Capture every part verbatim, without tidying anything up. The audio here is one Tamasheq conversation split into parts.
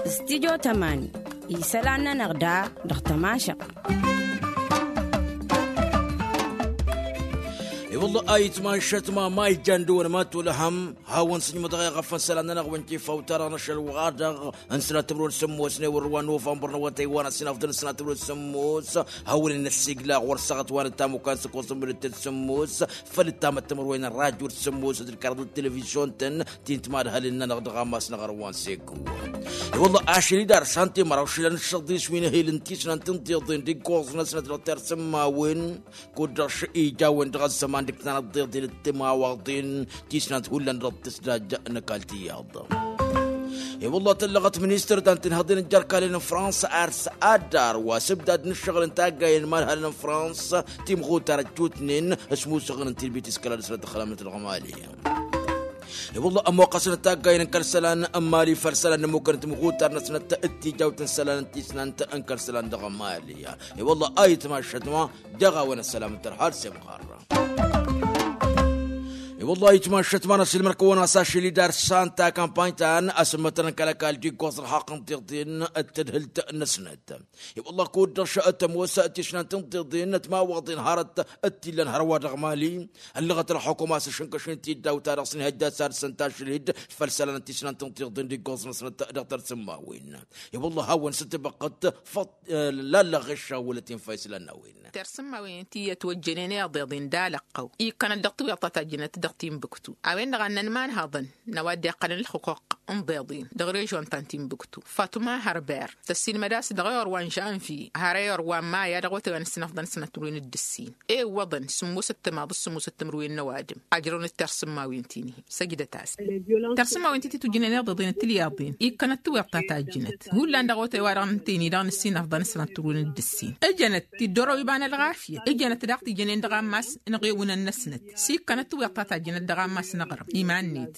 Stidyo tămani isălan-nănăɣ da dăɣ-tămašăɣt. I-wălla a itmašăt ma ma ijjan dăwăn ma tulăhăm hawăn-sǝjmădăɣ i-ɣăfăn isălan-nănăɣ wăn-tifawt-ta-dăɣ n-ašăl wa-dăɣ n-sănatămrăwăn sǝmmos n-ewăr wa n-novămbăr n-awătay wa n-asǝnafḍăn n-sănatămrăwăn sǝmmos. Hawăn-in-ăssiglaɣ wăr săɣăt wa n-ătamukkan s-ăkoẓ n-mǝdǝttăd sǝmmos făll-ătamăttămrăwăn n-rajul sǝmmos d-ǝlkărăḍ d-televizyon-tăn ti n-timadhalen-nănăɣ dăɣ-amas n-aɣrǝm wa n-segu. I-wălla ašăl-i d-ar santi măraw šilăn d-šăḍis wi n-ehil n-tisnant n-tiḍen d-iggoẓ-năsnăt dăɣ-tersǝmmawen kud-dăɣ ija a-wen-dăɣ ăzzăman d-ǝknan ăḍḍeḍen d-timawaḍen tisnant hullan dăɣ-tǝsdaj n-ăkall tiyyăḍ. I-wălla tăllăɣăt ministăr ta n-tinhăḍen n-jerkalen n-fransa ar s-addar wa s-ǝbdad n-ǝššăɣǝl n-taggayen n-imanhal n-fransa timɣutar ăjjutnen s-musăɣăn n-tilbit s-kăla dăɣ-sănăt ăxlamnăt dăɣ-mali. I-wălla ămoqqăsăn taggayen n-kăl-isălan n-mali făll-isălan n-ămmukăn timɣutar-năsnăt d-tijawt n-isălan n-tisnant n-kăl-isălan dăɣ-mali. I-wălla a itmašăt ma dăɣ-a-wen ăssălam n-tărha d-semɣarra. I-wălla a itmašăt ma n-ăsilmăr-kăwăn-as ašăl-i d-ar santa kampany-ta n-asǝmmătăn n-kăl-ăkall d-iggoẓ ălxaqq n-tiḍen d-tadhǝlt-năsnăt. I-wălla kud-dăɣ šăt ămoos tisnant n-tiḍen n-timawaḍen hărăt d-t-illăn hărwa dăɣ-mali. Ăllăɣăt ălxukuma s-ašǝnkăš n-tiddawt-ta-dăɣ s-inhăjja s-ad-săn tašlid făll-isălan n-tisnant n-tiḍen d-iggoẓ-năsnăt dăɣ-tărsǝmmawen. I-wălla a hawăn-sǝtbăqqăt făḍ lallăɣ ɣeššawălăt infa islan n-a-wen. Tersǝmmawen ti ătwăjjănen iḍeḍen d-alăqqăw ikkănăt dăɣ-tiwyaḍt ta tajjănăt dăɣ-tinbǝktu a-wen-dăɣ a n-inmănhăḍăn n-a-wa dd-iqqălăn ălxuquq n-iḍeḍen dăɣ-režion ta n-tinbǝktu fatuma hărber tăssilmăd a-s dăɣ-ewăr wa n-žănvye har ewăr wa n-maya dăɣ-wătay wa n-ǝssinăfḍăn sănăt timǝrwen d-ǝssin ewwăḍăn sǝmmosăt timaḍ s-sǝmmosăt timǝrwen n-ăwadǝm ajrăwăn-dd tersǝmmawen ti-nihi săjdăt-as. Tersǝmmawen ti tǝtwǝjjǝnen iḍeḍen d-tilyaḍen ikkănăt tiwyaḍt ta tajjǝnăt hullan dăɣ-awătay wa dăɣ-nǝntăyni dăɣ-nǝssinăfḍăn sănăt turwen d-ǝssin ǝjănăt tiddorow iba n-ălɣafyăt ǝjănăt daɣ tijănen dăɣ-ammas n-iɣewǝnăn-năsnăt s-ikkănăt tiwyaḍt ta tajjǝnăt dăɣ-ammas n-aɣrǝm iman-net.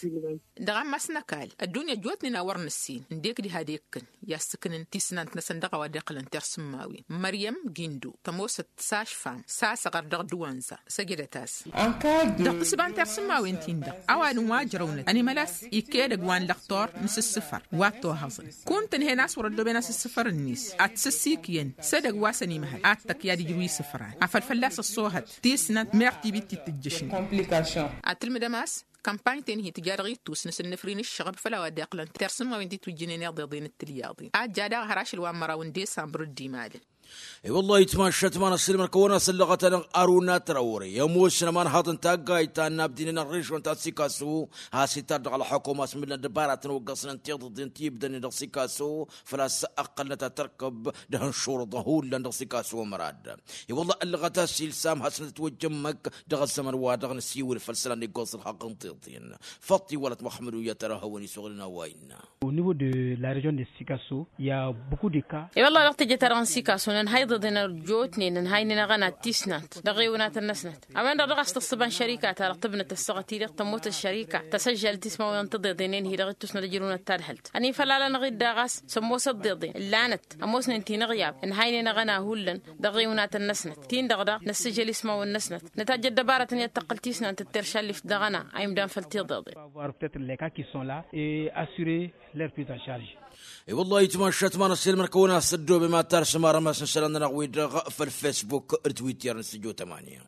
Dăɣ-ammas n-ăkall ăddunya ăjjootnen a wăr nǝssin ǝndek diha d-ekkăn i-ad-sǝknǝn tisnant-năsăn dăɣ-a-wa dd-iqqălăn tersǝmmawen măryăm gindo tămoosăt s-ašfam s-asăɣăr dăɣ-dăwanza săjdăt-as. Dăɣ-tǝsba n-tersǝmmawen-tin dăɣ-ăwadǝm wa ǝjrăwnăt ănimăl a-s ikka edăgg wa n-lăxtor n-asǝssǝfăr wa ăttohăẓăn kuntǝnhen a-s wăr-ăddooben asǝssǝfăr-net ad-t-sǝssikyăn s-edăgg wa s-ănimăhăl ad-tăkk i-ad-ijrǝw isǝfran afăl fălla-s ăṣṣoohăt tisnant meɣ tibit ti tǝjjǝšnen. Ad-tǝlmǝdăm a-s kămpany-ten-hi tǝja dăɣ-ittus n-asǝnnǝfri n-ǝššăɣăb făll-a-wa dd-iqqălăn tersǝmmawen ti tǝwǝjjǝnen iḍeḍen d-tilyaḍen a ǝjja daɣ har ašăl wa n-măraw n-desambăr dd-imalăn. I-wăllah itmaššăt ma n-ăssiilmăr-kăwăn-asăllăɣăt-anăɣ aruna tărawre i-ămoosăn ămanhaḍ n-taggayt ta n-abdinen ărrižon ta n-sikasu a-s itar dăɣ-ălxukuma a-s mǝlnăt dăbaratăn wa ǝggăẓnen tiḍǝḍen ti ǝbdănen dăɣ-sikasu făl-a-s ăqqălnăt ad-tărkăb d-ihănšurăḍăn hullan dăɣ-sikasu ămrad. I-wăllah ăllăɣăt-as ilsam hasnăt ătwăjja ǝmmǝk dăɣ-ăzzăman-wa-dăɣ nǝsiwǝl făll-isălan iggoẓ ălxaqq n-tiḍen. Făṭṭ iwălăt muxămmăd uyyăt ara hawăn-iswăɣlăn a-wa innă. Au niveau de la région de sikaso i-a beaucoup de cas. I-wăllah dăɣ-teje-ta-dăɣ n-sikaso nǝnhăy iḍeḍen ărjotnen nǝnhăynen aɣăna d-tisnant dăɣ-iwǝnatăn-năsnăt a-wen-dăɣ dăɣ-a-s tăṣṣǝba n-šărika-ta-dăɣ tǝbnăt ăssaɣăt-i-dăɣ tămoosăt šărika tăsăžžalăt ismawăn n-tiḍeḍen-en-hi dăɣ-ittusnăt ăjrăwnăt tadhălt ănifălalăn-aɣ-dd daɣ a-s s-ămoos ăḍḍeḍen ǝllanăt ămoosnen tinăɣyab ǝnhăynen aɣăna hullan dăɣ-iwǝnatăn-năsnăt tin-dăɣ daɣ năssǝjăl ismawăn-năsnăt nătajjăt dăbaratăn i-ad-tăqqǝl tisnant d-teršallift dăɣ-ăna a imdan făll-tiḍeḍen. Avoir peut-être les cas qui sont là et assurer leur prise en charge. I-wăllah itmaššăt ma n-ăssiilmăr-kăwăn a-s ăddoobem ad-tarsǝm arămas n-isălan-nănăɣ-wi-dăɣ făll-facebook d-twitter n-stujo tămani.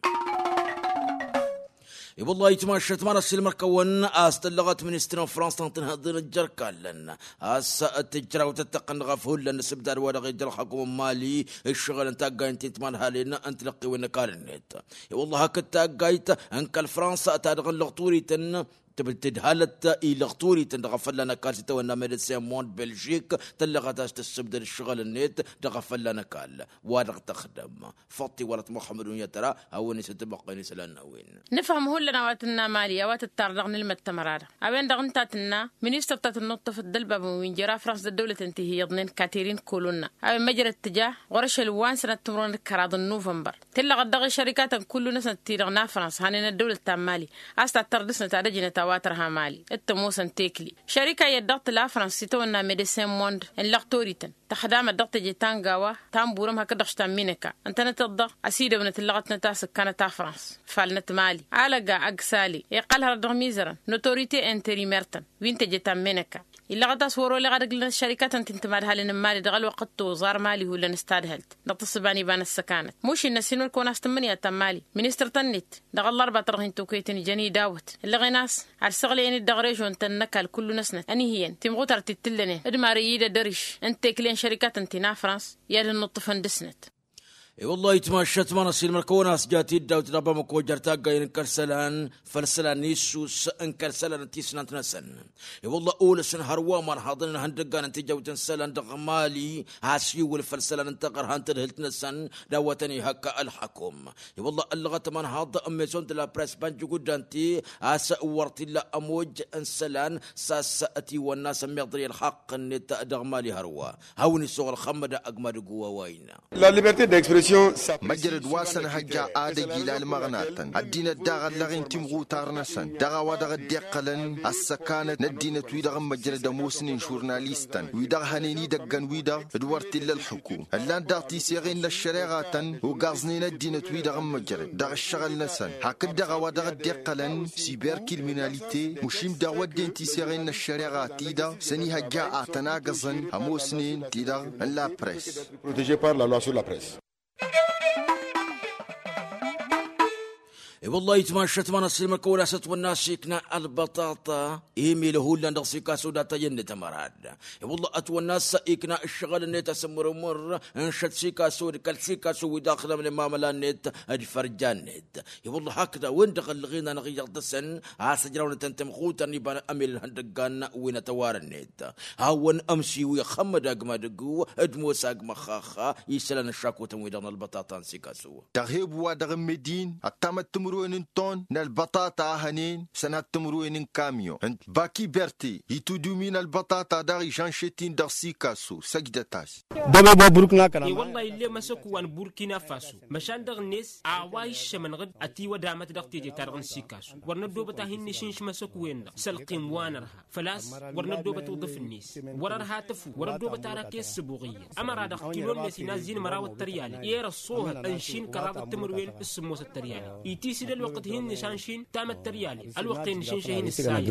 I-wăllah itmaššăt ma n-ăssiilmăr-kăwăn a-s tăllăɣăt ministăr n-fransa n-tinhăḍen ăjjărkallăn a-s tǝjraw tăttăqqăn dăɣ-af hullan n-asǝbdad wa dăɣ-ija ălxakum n-mali ǝššăɣǝl n-taggayen ti n-timanhalen n-tilăqqiwen n-ăkall-net. I-wăllah hakd taggayt n-kăl-fransa ta dăɣ-nǝlăɣ turităn tǝbǝl tǝdhalăt ilăɣ turităn dăɣ-afălla n-ăkall s-itawănna medecin mond belžik tăllăɣăt a-s tǝssǝbdăd ǝššăɣǝl-net dăɣ-afălla n-ăkall wa dăɣ-tăxdăm. Făṭṭ iwălăt muxămmăd unyăt ara hawăn-isǝtbăqqăn isălan n-a-wen. Nǝfhăm hullan a-wa tǝnna mali a-wa tǝttar dăɣ-nǝlmăd tămăra-dăɣ a-wen-dăɣ ǝnta a tǝnna ministăr ta tǝnnuṭṭăfăt d-ălbabăn wi n-jăr afrans d-ăddăwlăten ti hi-iyyăḍnen katerin kolonna a-wen măjrăd tǝja ɣur-ašăl wa n-sănat timǝrwen d-kăraḍ n-nuvănbăr tǝllăɣăt dăɣ-išărikatăn kullu-năsnăt-ti-dăɣ n-afrans hanen ăddăwlăt ta n-mali a-s tattăr dăɣ-snăt ad-ăjnăt. a-wa tărha mali d-tămoosăn tekli šărika iyyăt dăɣ-tǝla frăns s-itawănna medecin mond n-lăɣ torităn tăxdamăt dăɣ-teje ta n-gawa ta n-burăm hakd-dăɣ štamminăka ǝntănăteḍ-dăɣ ăsidăwnăt ǝllăɣătnăt a-s ǝkkanăt a frăns falnăt mali alăga ăgg sali iqqăl hărăt dăɣ-mizărăn n-otorite interimer-tăn wi n-teje ta n-menăka illăɣăt a-s wăr-oleɣ ad-ǝglănăt šărikatăn ti n-timadhalăn n-mali dăɣ-ălwăqq d-toẓar mali hullan s-tadhălt dăɣ-tǝssǝba n-iba n-ăssăkanăt mušin n-ăssin wăr-kăwăn a-s tǝmmǝnǝya ta n-mali ministăr-tăn-net dăɣ-ăllărba ta dăɣ-hin-tokăyăt n-ijăn idawăt ǝllăɣen a-s ad-săɣlăyăn-dd dăɣ-režon-tăn n-ăkall kullu-năsnăt ănihǝyăn timɣutar ti t-ǝllănen d-mari-i d-ăddăriš n-tekle n-šărikatăn ti n-afrans i-ad-ănnuṭṭǝfăn dăɣ-snăt. I-wăllah itmašat ma n-asilmăr kăwăn-as jat-dd dawt dăɣ-bamăko jer-taggayen n-kăl-isălan făll-isălan n-issus n-kăl-isălan n-tisnant-năsăn. I-wăllah olăsăn hărwa ma n-haḍăn n-ihăndăggan n-tijawt n-isălan dăɣ-mali a-s iwǝl făll-isălan n-taɣărha n-tadhǝlt-năsăn d-a-wa tăn-ihăkka ălxăkum. I-wăllah ăllăɣăt ma n-haḍ n-mezon de la press banjuguddan-ti a-s wăr t-illa ămoj n-isălan s-a-s ătiwănna s-ămmiḍăr i-ălxaqq-net dăɣ-mali hărwa. Hawăn-isuɣǝl xămmăd agmad ăgg wa wa innă. La liberté d'expression. Măjrăd wa s-ănhăjja ad-ăj ila ălmăɣnatăn ăddinăt daɣ ăllăɣen timɣutar-năsăn dăɣ-a-wa dăɣ-dd-iqqălăn ăssăkanăt n-ăddinăt-wi-dăɣ n-măjrăd ămoosnen žurnalistăn wi-dăɣ hănen idăggăn-wi-dăɣ d-wăr t-illa ălxukum ǝllan daɣ tiseɣen n-ăššăreɣatăn ogaẓnen ăddinăt-wi-dăɣ n-măjrăd dăɣ-ǝššăɣǝl-năsăn hakd-dăɣ a-wa dăɣ-dd-iqqălăn siberkilminalite mušim daɣ wădden tiseɣen n-ăššăreɣa-ti-dăɣ s-ănihăjja ad-tăn-agǝẓăn ămoosnen-ti-dăɣ n-la press. Protégé par la loi sur la press. I-wăllah itmašat ma n-asilmăr kăwăn-as ătwănna s-ikna ălbăṭaṭa imilă hullan dăɣ-sikasu data i-ănnăt ămărad. I-wăllah ătwănna s-ikna ǝššăɣǝl-net asǝmmărǝmăr n-šăt sikasu d-kăl-sikasu wi daxlăm n-imamăla-net d-fărja-net. I-wăllah hakd a-wen-dăɣ ăllăɣen-anăɣ iyyăḍ dăɣ-săn a-s ăjrawnătăn timɣutăn iba n-amil n-ihăndăggan wi n-atăwarăn-net. Hawăn-ămsiwi xămmăd agmadǝggu d-mosa agmăxxax isălan ăššakutăn-wi-dăɣ n-ălbăṭaṭa n-sikasu. Dăɣ-hebu wa dăɣ-ǝmmǝdin ăttamăt timǝrwen n-ton n-ălbăṭaṭa a hănen sănhăt timǝrwen n-kamyon n-baki berte itudumi n-ălbăṭaṭa daɣ ižanšet-in dăɣ-sikasu săjdăt-as. Dăɣ-e-wa burkina kăla. E-wălla ill'-e măsăku wa n-burkina faso măšan dăɣ-net a-wa iššămăn ɣǝd ătiwădamăt dăɣ-teje-ta-dăɣ n-sikasu wăr năddobăt a hin-nǝšǝnš măsăku-wen-dăɣ s-ălqim wa nărha făl-a-s wăr năddobăt uḍǝf-net wăr-ărha tăfu wăr-ăddobăt ara kessǝbuɣ iyyăt ămăra-dăɣ kinonet inazzi n-măraw d-tăryale i-erăṣṣohăt ănšin kăraḍăt timǝrwen s-sǝmmosăt tăryale itisǝd ălwăqq d-hin-nǝšanšin tamăt tăryale ălwăqq-en nǝšǝnšăh-in ǝssayăt.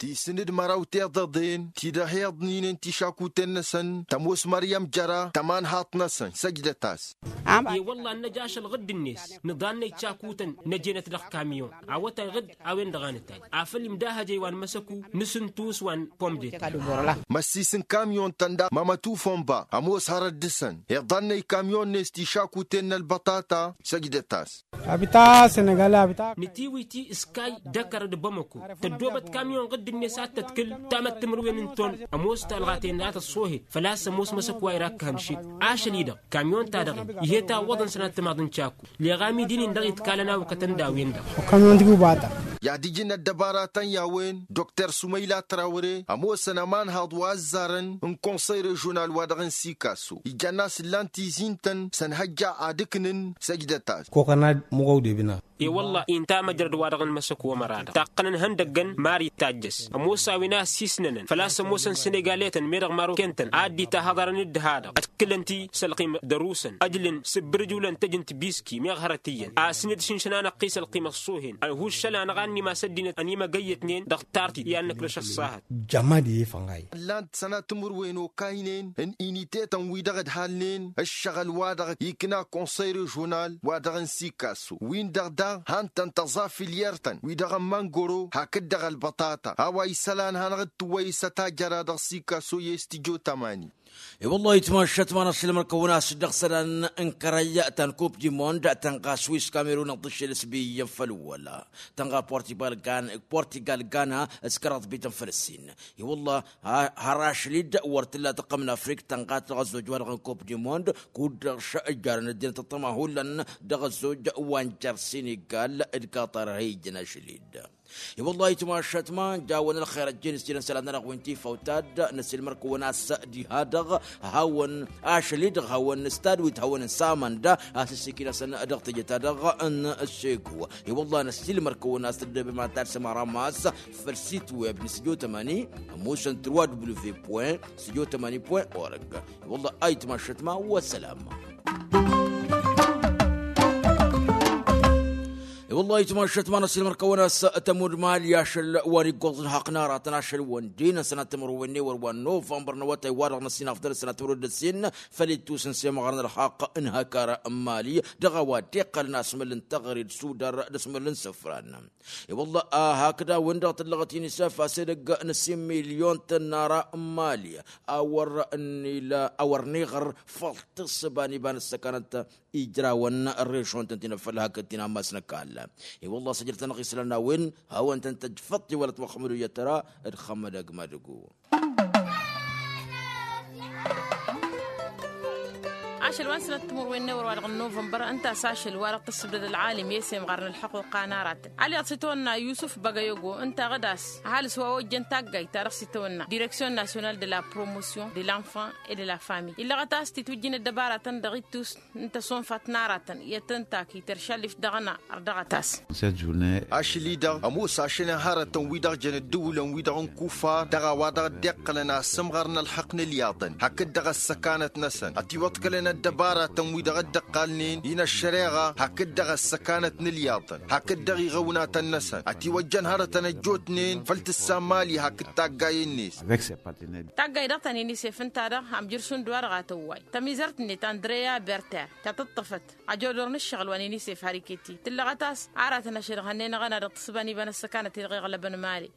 Tisǝn d-măraw tiḍăḍen ti dăɣ-heḍninen tišakuten-năsăn tămoos măryăm jăra tămanhaḍt-năsăn săjdăt-as. E-wălla ad-năj ašăl ɣǝdd-net nǝḍannăy tišakuten năjenăt dăɣ-kamyon awătay ɣǝdd a-wen-dăɣ a nǝtay afăl imdahăjăy wa n-măsăku n-asǝntus wa n-pomdet. Măssis n-kamyon-tăn daɣ mămătufon ba ămoos hărăt dăɣ-săn iḍannăy kamyon-net tišakuten n-ălbăṭaṭa săjdăt-as. Abita senegal abita. Nǝtiwǝy ti s-kay d-ăkăr d-bamăko tăddoobăt kamyon ɣǝdd-net ad-tătkǝl tamăt timǝrwen n-ton ămoos talɣaten ad-tăṣṣohet făl-a-s ămoos măsăk wa irakkăhăn šik ašăl-i-dăɣ kamyon-ta-dăɣ-in ih'-e tawwăḍăn sănat timaḍ n-cakku. Leɣ amidi-nin-dăɣ itkalăn a ukătăn d-a-wen-dăɣ. Okămyon tiguba-ta. I-ad-ǝjǝn ăddăbaratăn i-a-wen dr sumăyla trawre ămoosăn ămanhaḍ wa ăzzarăn n-konsăy režional wa dăɣ-n sikaso ijăn-as ǝllan tizin-tăn s-ănhăjja ad-ǝknǝn săjdăt-as. Kokănad măɣăw d-ebǝna. E-wălla-i ǝnta măjrăd wa dăɣ-nǝmăsăk wămăra-dăɣ taqqănăn ihăndăgg n-mari tajjăs ămoos a-wen a ăssiisnănăn făl-a-s ămoosăn senegaletăn meddăɣ marokentăn a dd-itahăḍarăn dd-ha-dăɣ ătkǝlăn-ti s-ălqim d-ărusăn ăjlǝn s-ǝbbǝrǝj ulăn tăj n-tibiski meɣ hărăt iyyăn asǝn-dd šǝnšăn-anăɣ-t i-s ălqim ăṣṣuhen ăhuššăl-anăɣ a ănnim-as ăddinăt ănimăgăyyătnen dăɣ-tartit i-ad-nǝkrǝš ăṣṣahăt. Jămad i-ifănɣay. Ǝllan-t sănatǝmǝrwen okaynen n-initetăn-wi-dăɣ ǝdhalnen ǝššăɣǝl-wa-dăɣ ikna konsăy režional wa dăɣ-n sikaso win-dăɣ daɣ han-tăn tăẓafǝl i-ertăn wi-dăɣ n-măngoro hakd-dăɣ ălbăṭaṭa a-wa isălan hanăɣ-dd-tǝwwăy s-ătajăra dăɣ-sikaso i-s-tǝjo tămani. E-wăllah itmašat ma n-asǝlmăr kăwăn-as-dd dăɣ-isălan n-kărăy ta n-kup dimond tănɣa swiss kamerun ăḍḍǝššel s-bi iyyăn făll-wăla tănɣa portigal gan portigal gana s-kăraḍ bităn făll-ǝssin. I-wălla har ašăl-dd wăr t-tǝlla tăqqăm n-afrik tănɣa-t dăɣ-ăzzoj wa dăɣ-n kup dimond kud-dăɣ šăjjarăn ăddinăt ăṭṭăma hullan dăɣ-ăzzoj wa n-jer-sinigal d-kaṭar a hi-ijjăn ašăl-dd. I-wăllah itmašăt ma n-jawăn ălxer ăjjeen s-jilăn isălan-nănăɣ wi n-tifawt-ta-dd. Năsilmăr-kăwăn a-s diha-dăɣ hawăn-ašăl-i-dăɣ hawăn-stad wi t-hawăn-n samănda a-s ǝssikǝy-năsăn dăɣ-teje-ta-dăɣ n-segu. I-wăllah năsilmăr-kăwăn a-s tăddăbem ad-tarsăm aramas făll-sit web n-studio tămani ămoosăn trois w point studio tămani point org. I-wăllah ayǝtmašăt ma wa sălam. I-wăllah ayǝtmašăt ma năsilmăr-kăwăn a-s tămud mali ašăl wa n-iggoẓ ǝlhăqq n-aratăn ašăl wa n-dd-inăn sănat timǝrwen n-ewăr wa n-novămbăr n-awătay-wa-dăɣ n-ăssinafḍăl sănat timǝrwen d-ǝssin făll-ittus n-semɣar n-ălhăqq n-hăkar n-mali dăɣ-a-wa dd-iqqălăn asmǝl n-teɣăre d-sudar d-asmǝl n-isǝfran. I-wălla a hakd a-wen-dăɣ tǝllăɣăt inisef a-s edăgg n-ăssin milyon tănnara n-mali a wăr n-ila a wăr n-iɣăr făll-tǝssǝba n-iba n-ăssăkanăt ijrawăn ărežon-tăn ti n-afăl hakd ti n-ammas n-ăkall. I-wălla a-s ăjrăt-anăɣ isălan n-a-wen hawăn-tăn-tăjj făṭṭ iwălăt muxămmăd uyăt tăra d-xămmăd agmadǝgu. Ašăl wa n-sănat timǝrwen n-ewăr wa dăɣ-novămbăr ǝnta a-s ašăl wa dăɣ-tǝssǝbdăd ălɣalim i-semɣar n-ălḥăqquqa n-aratăn alyaḍ s-itawănna yusǝf băgăyogo ǝnta a ɣǝd-as ăhalǝs wa ojjăn taggayt ta dăɣ-s itawănna direksyon nasyonal de la promosyon de l-enfant et de la famille illăɣăt a-s titwǝjjǝn ăddăbaratăn dăɣ-ittus n-tăsonfat n-aratăn i-ad-tăn-tak iteršalif dăɣ-ăna. Ărdăɣăt-as. Ašli-dăɣ ămoos ašăl n-hărătăn-wi-dăɣ jăn ǝddǝwǝlăn-wi-dăɣ n-kufar dăɣ-a-wa dăɣ-dd-iqqălăn asǝmɣăr n-ălxăqq n-ǝlyaḍăn hakd-dăɣ ăssăkanăt-năsăn ătiwăḍkălăn ăddăbaratăn-wi-dăɣ dd-ǝqqalnen-in ăššăreɣa hakd-dăɣ ăssăkanăt n-ǝlyaḍăn hakd-dăɣ iɣăwnatăn-năsăn ătiwăjjăn hărătăn ăjjootnen făll-tǝssa n-mali hakd taggayen-net. Taggayt dăɣ-tăn inisef ǝnta-dăɣ amjǝr šund wa dăɣ-atăwway tămizărt-net andreya berter ta tǝṭṭăfăt ajodor n-ǝššăɣǝl wa n-inisef har iket-i tǝllăɣăt a-s aratăn ašăl hănnen aɣăna dăɣ-tǝssǝba n-iba n-ăssăkanăt-i-dăɣ iɣlăbăn mali.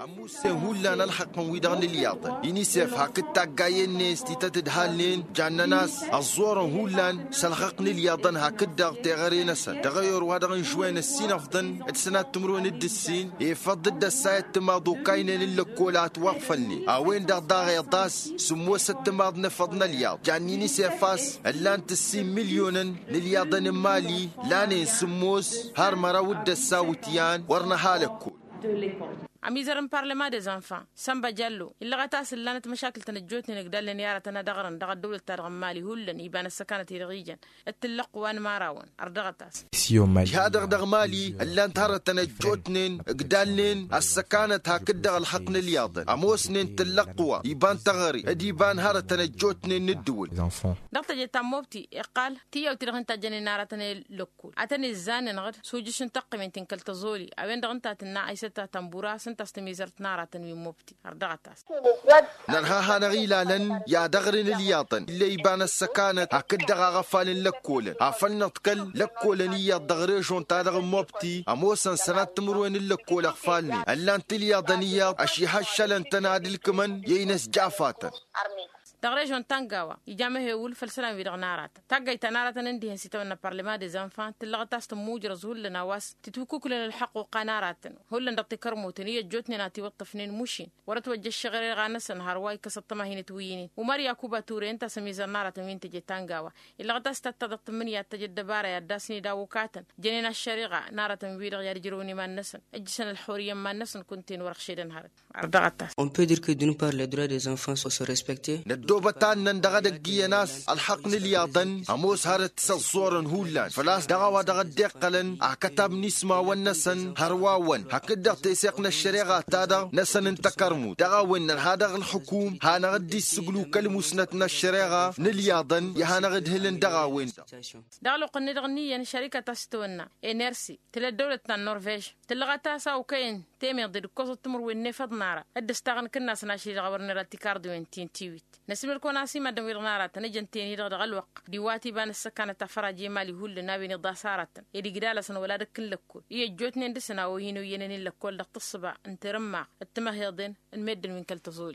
Ămussen hullan ălxăqqăn-wi-dăɣ n-ǝlyaḍăn inisef hakd taggayen-net ti tăt-ǝdhalnen jannăn a-s ăẓẓorăn hullan s-ălxăqq n-ǝlyaḍăn hakd-dăɣ teɣăre-năsăn dăɣ-eyor wa dăɣ-n žwen ăssinăfḍăn d-sănat timǝrwen d-ǝssin efăḍ dd-ăssayăt timaḍ okaynen n-lăkkol a ătwăɣfălnen a-wen-dăɣ daɣ iḍas sǝmmosăt timaḍ n-efăḍ n-ălyaḍ jann-inisef a-s ǝllan-t ǝssin milyonăn n-ǝlyaḍăn n-mali lanen sǝmmos har măraw d-ăssawǝtyan wăr nǝha lăkkol. Ămizăr n-parlăma des enfants sănba jallo illăɣăt a-s ǝllanăt măšakǝl-tăn ăjjootnen ǝgdalnen i-aratăn ad-ăɣrǝn dăɣ-ăddăwlăt-ta-dăɣ n-mali hullan iba n-ăssăkanăt-i-dăɣ ijăn d-tǝllăqq wa n-imărawăn. Ărdăɣăt-as. Diha-dăɣ dăɣ-mali ǝllan-t hărătăn ăjjootnen ǝgdalnen ăssăkanăt hakd-dăɣ ălxăqq n-ǝlyaḍăn ămoosnen tǝllăqq wa iba n-teɣăre d-iba n-hărătăn ăjjootnen n-ǝddǝwǝl. Dăɣ-teje ta n-mobti iqqal tiyyăw ti-dăɣ hin-tajjănen aratăn i-lăkkul ad-tăn-izzan-inăɣ-dd s-ujǝš n-taqqǝmen ti n-kăl-tăẓoli a-wen-dăɣ ǝnta a tǝnna aysăt ta tănbura s-ǝnta a-s tămizărt n-aratăn wi n-mobti. Ărdăɣăt-as. Nărha hanăɣ-ilalăn i-ad-ăɣrǝn ǝlyaḍăn ill'-e iba n-ăssăkanăt hakd-dăɣ aɣăfal n-lăkkolăn afăl nǝḍkăl lăkkolăn iyyăḍ dăɣ-režon-ta-dăɣ n-mobti ămoosăn sănat timǝrwen n-lăkkol ăɣfalnen ǝllan-t ǝlyaḍăn iyyăḍ ăšihăššălăn-tăn ad-ǝlkǝmăn i-inăs jafatăn. Dăɣ-režon ta n-gawa ija mehewǝl făll-isălan-wi-dăɣ n-aratăn taggayt ta n-aratăn ǝndihăn s-itawănna parlăma des enfants tǝllăɣăt a-s tǝmmujrăẓ hullan a-wa s-titwǝkkuklăn ălxăqq oqqa n-aratăn hullan dăɣ-tikărmutăn i-ăjjootnen a tiwǝṭṭăfnen mušin wăr-ătwăjja ăššăɣǝreɣa-năsăn hărwa ikkăs ăṭṭăma hin-ătwǝyyǝnen umăr yakuba ture ǝnta a-s ămizăr n-aratăn wi n-teje ta n-gawa illăɣăt a-s tatta dăɣ-tǝmmǝnǝya d-tăj ăddăbara i-ad-dd-asnǝy daw-okatăn jănen ăššăreɣa n-aratăn-wi-dăɣ i-ad-ǝjrăwăn iman-năsăn ǝjjǝšăn ălxurǝyya n-iman-năsăn kunta-en wăr-ăɣšedăn hărăt. Ărdăɣăt-as. On peut dire que d'une part les droits des enfants sont respectés. Năddoobăt annăn dăɣ-edăgg iyyăn a-s ălxăqq n-ǝlyaḍăn ămoos hărăt s-ăẓẓorăn hullan făl-a-s dăɣ-a-wa dăɣ-dd-iqqălăn akătab n-ismawăn-năsăn hărwawăn hakd-dăɣ teseɣt n-ăššăreɣa-ta-dăɣ-năsăn n-takărmut dăɣ-a-wen nărha dăɣ-ǝlxǝkum hanăɣ-dd-issǝglu kăl-musnăt n-ăššăreɣa n-ǝlyaḍăn i-ad-hanăɣ-ǝdhǝlăn dăɣ-a-wen-dăɣ. Dăɣ-ălwăqq-net-dăɣ n-iyyăn šărikăt a-s tǝwănna enersi tǝla ăddăwlăt ta n-norvež tǝllăɣăt a-s a okăyăn temeḍe d-ǝkkoẓăt timǝrwen n-efăḍ n-ara dd-ǝstaɣăn kǝnnas n-ašli dăɣ-a wăr nera tikarḍǝwen ti n-tiwit. Năsmǝl-kăwăn a-s imaddǝn-wi-dăɣ n-aratăn ǝjăn-ten-i-dăɣ dăɣ-ălwăqq d-iwat iba n-ăssăkanăt afăraje imali hullan a-wen iḍas aratăn ed igdal-asăn wăla dăɣ-kǝllăkkol i-ăjjootnen dăɣ-săn a-wa hin-oyyănen i-lăkkol dăɣ-tǝssǝba n-tirǝmmaɣ d-timăheḍen n-meddǝn wi n-kăl-tăẓoli.